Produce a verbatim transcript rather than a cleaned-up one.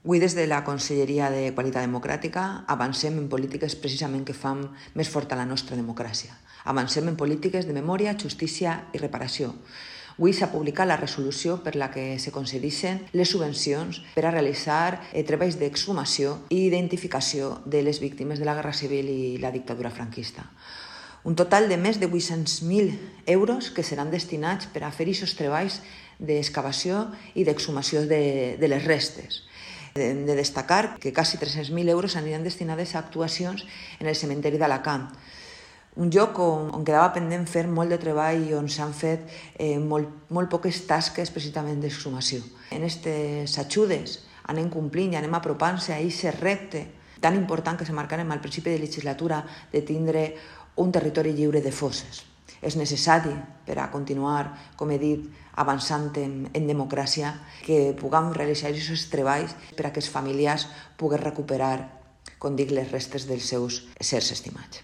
Avui, des de la Conselleria de Qualitat Democràtica, avancem en polítiques precisament que fan més forta la nostra democràcia. Avancem en polítiques de memòria, justícia i reparació. Avui s'ha publicat la resolució per la que se concedeixen les subvencions per a realitzar eh, treballs d'exhumació i identificació de les víctimes de la Guerra Civil i la dictadura franquista. Un total de més de vuit-cents mil euros que seran destinats per a fer aquests treballs d'excavació i d'exhumació de, de les restes. Hem de destacar que quasi tres-cents mil euros aniran destinades a actuacions en el cementeri d'Alacant, un lloc on, on quedava pendent fer molt de treball i on s'han fet eh, molt, molt poques tasques precisament d'exhumació. En aquestes ajudes anem complint i anem apropant-se a aquest repte tan important que se marcarem al principi de legislatura de tindre un territori lliure de fosses. És necessari per a continuar, com he dit, avançant en, en democràcia, que puguem realitzar aquests treballs per a que els familiars puguin recuperar, com dic, les restes dels seus éssers estimats.